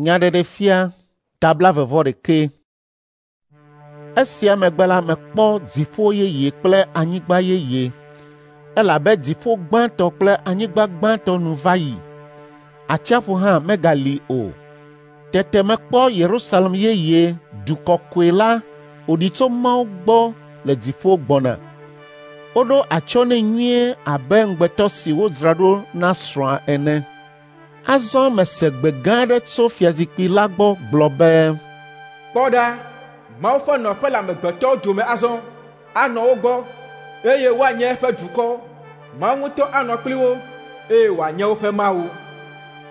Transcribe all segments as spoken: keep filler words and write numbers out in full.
Nyaɖeɖefia ta blaeve-vɔ-ɖekɛ. Esia megbe la mekpɔ dziƒo yeye kple anyigba yeye elabe dziƒo gbãtɔ kple anyigba gbãtɔ nu va yi. Atsiaƒu hã megali o. Tete mekpɔ Yerusalem yeye, du kɔkɔe la wòɖi tso Mawu gbɔ le dziƒo gbɔna. Woɖo atsyɔ̃ nɛ nyuie abe ŋugbetɔ si wodzra ɖo na srɔ̃a ene. Azɔ mese gbe gã aɖe tso fiazikpui la gbɔ gblɔ be, Kpɔ ɖa, Mawu ƒe nɔƒe le amegbetɔwo dome azɔ. Anɔ wo gbɔ, eye woanye eƒe dukɔ. Mawu ŋutɔ anɔ kpli wo, eye wòanye woƒe Mawu.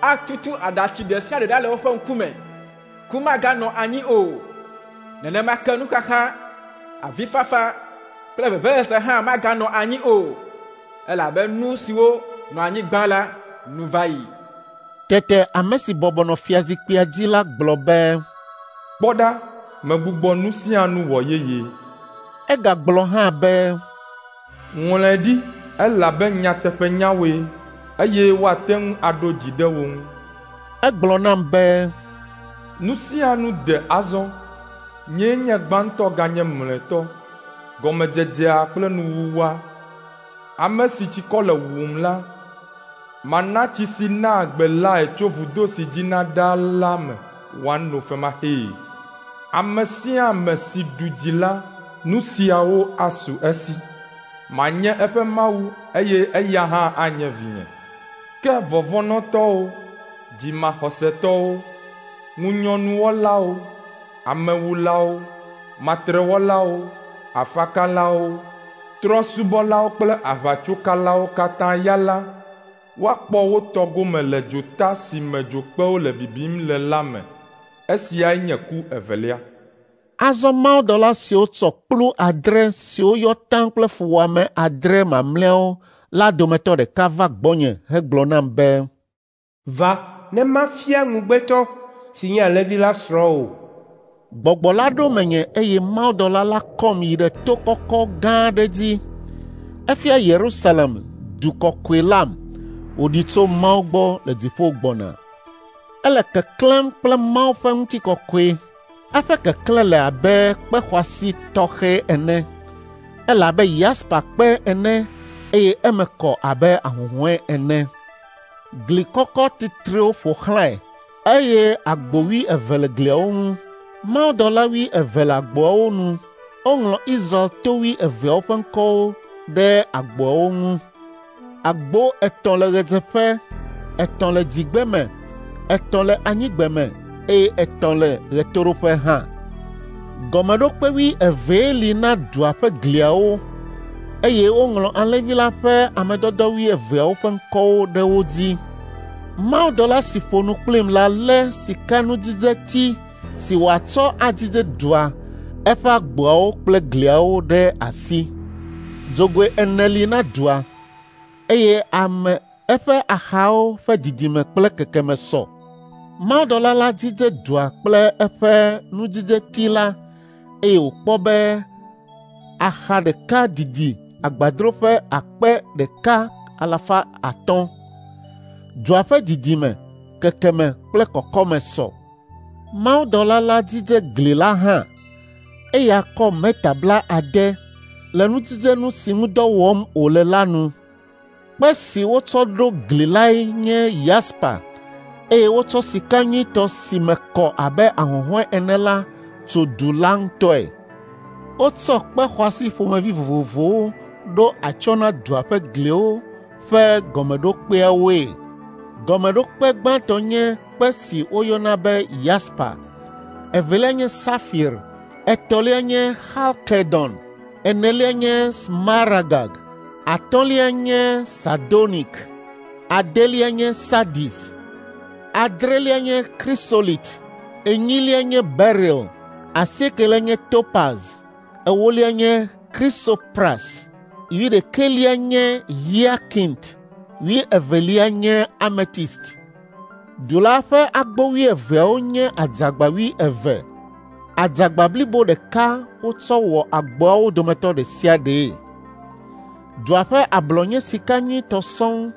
Atutu aɖatsi ɖe sia ɖe ɖa le woƒe ŋkume. Ku maganɔ anyi o. Nenema ke nuxaxa, avifafa kple vevesese hã maganɔ anyi o, elabe nu siwo nɔ anyi gbã la nu va yi. Tete ame si bɔbɔ nɔ fiazikpuia dzi la gblɔ be, Kpɔ ɖa, megbugbɔ nu sia nu wɔ yeye. Egagblɔ hã be, Ŋlɔe ɖi elabe nyateƒenyawoe eye woate ŋu aɖo dzi ɖe wo ŋu. Egblɔ nam be, Nu sia nu de azɔ. Nyee nye gbãtɔ ganye mlɔetɔ, gɔmedzedzea kple nuwuwua. Ame si tsikɔ le wuwum la, mana tsi si naa agbe lae tso vudo si dzina ɖaa la me wòano femaxee. Ame sia ame si ɖu dzi la, nu siawo asu esi. Manye eƒe Mawu eye eya hã anye vinye. Ke vɔvɔ̃nɔtɔwo, dzimaxɔsetɔwo, ŋunyɔnuwɔlawo, amewulawo, matrewɔlawo, afakalawo, trɔ̃subɔlawo kple aʋatsokalawo katã ya la, woakpɔ wo tɔ gome le dzota si me dzokpewo le bibim le la me. Esiae nye ku evelia. Azɔ mawudɔla siwo tsɔ kplu adre siwo yɔ taŋ kple fuwɔame adre mamlɛawo la dometɔ ɖeka va gbɔnye hegblɔ nam be, Va ne mafia ŋugbetɔ si nye Alẽvi la srɔ̃ wò. Gbɔgbɔ la ɖo menye eye mawudɔla la kɔm yi ɖe to kɔkɔ gã aɖe dzi. Efia Yerusalem, du kɔkɔe lam, wòɖi tso Mawu gbɔ le dziƒo gbɔna. Ele keklẽm kple Mawu ƒe ŋutikɔkɔe. Eƒe keklẽ le abe kpe xɔasi tɔxɛ ene. Ele abe yaspa kpe ene eye eme kɔ abe ahuhɔ̃e ene. Gli kɔkɔ titrewo ƒo xlãe eye agbo wuieve le gliawo ŋu. Mawudɔla wuieve le agboawo nu. Woŋlɔ Israel to wuieveawo ƒe ŋkɔwo ɖe agboawo ŋu. Agbo etɔ̃ le ɣedzeƒe, etɔ̃ le dzigbeme, etɔ̃ le anyigbeme eye etɔ̃ le ɣetoɖoƒe hã. Gɔmeɖokpe wuievee li na dua ƒe gliawo eye woŋlɔ Alẽvi la ƒe ame dɔdɔ wuieveawo ƒe ŋkɔwo ɖe wo dzi. Mawudɔla si ƒo nu kplim la lé sikanudzidzeti si wòatsɔ adzidze dua, eƒe agboawo kple gliawo ɖe asi. Dzogoe ene li na dua, eye ame eƒe axawo ƒe didime kple kekeme sɔ. Mawudɔla la dzidze dua kple eƒe nudzidzeti la eye wòkpɔ be axa ɖeka didi agbadroƒe akpe ɖeka alafa atɔ̃. Dua ƒe didime, kekeme kple kɔkɔme sɔ. Mawudɔla la dzidze gli la hã. Eya kɔ meta bla ade le nudzidzenu si ŋu dɔ wɔm wòle la nu. Kpe si wotsɔ ɖo gli lae nye yaspa eye wotsɔ sika nyuitɔ si me kɔ abe ahuhɔ̃e ene la tso du la ŋutɔe. Wotsɔ kpe xɔasi ƒomevi vovovowo ɖo atsyɔ̃ na dua ƒe gliwo ƒe gɔmeɖokpeawoe. Gɔmeɖokpe gbãtɔ nye kpe si woyɔna be yaspa, evelia nye safir, etɔ̃lia nye xalkedon, enelia nye smaragd, atɔ̃lia nye sardonik, adelia nye sardis, adrelia nye krisolit, enyilia nye beril, asiekelia nye topaz, ewolia nye krisopras, wuiɖekɛlia nye hiakint, wuievelia nye ametist. Du la ƒe agbo wuieveawo nye adzagba wuieve. Adzagba blibo ɖeka wotsɔ wɔ agboawo dometɔ ɖe sia ɖee. Dua ƒe ablɔ nye sika nyuitɔ sɔŋ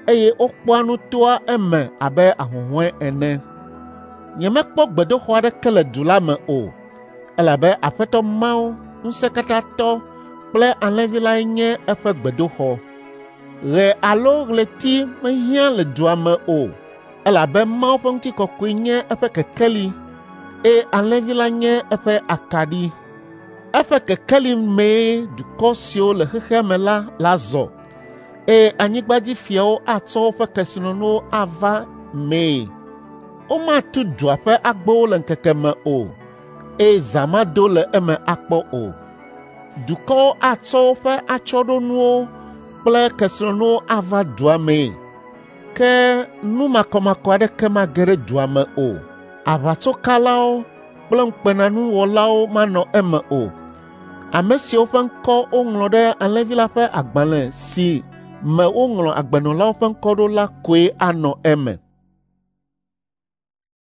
eye wokpɔa nu toa eme abe ahuhɔ̃e ene. Nyemekpɔ gbedoxɔ aɖeke le du la me o, elabe Aƒetɔ Mawu Ŋusẽkatãtɔ kple Alẽvi lae nye eƒe gbedoxɔ. Ɣe alo ɣleti mehiã le dua me o, elabe Mawu ƒe ŋutikɔkɔe nye eƒe kekeli eye Alẽvi la nye eƒe akaɖi. Eƒe kekeli mee dukɔ siwo le xexea me la la zɔ, eye anyigbadzifiawo atsɔ woƒe kesinɔnuwo ava mee. Womatu dua ƒe agbowo le ŋkeke me o, eye zã mado le eme akpɔ o. Dukɔwo atsɔ woƒe atsyɔ̃ɖonuwo kple kesinɔnuwo ava dua mee. Ke nu makɔmakɔ aɖeke mage ɖe dua me o. Aʋatsokalawo kple ŋukpenanuwɔlawo manɔ eme o. Ame siwo ƒe ŋkɔ woŋlɔ ɖe Alẽvi la ƒe agbalẽ si me woŋlɔ agbenɔlawo ƒe ŋkɔ ɖo la koe anɔ eme.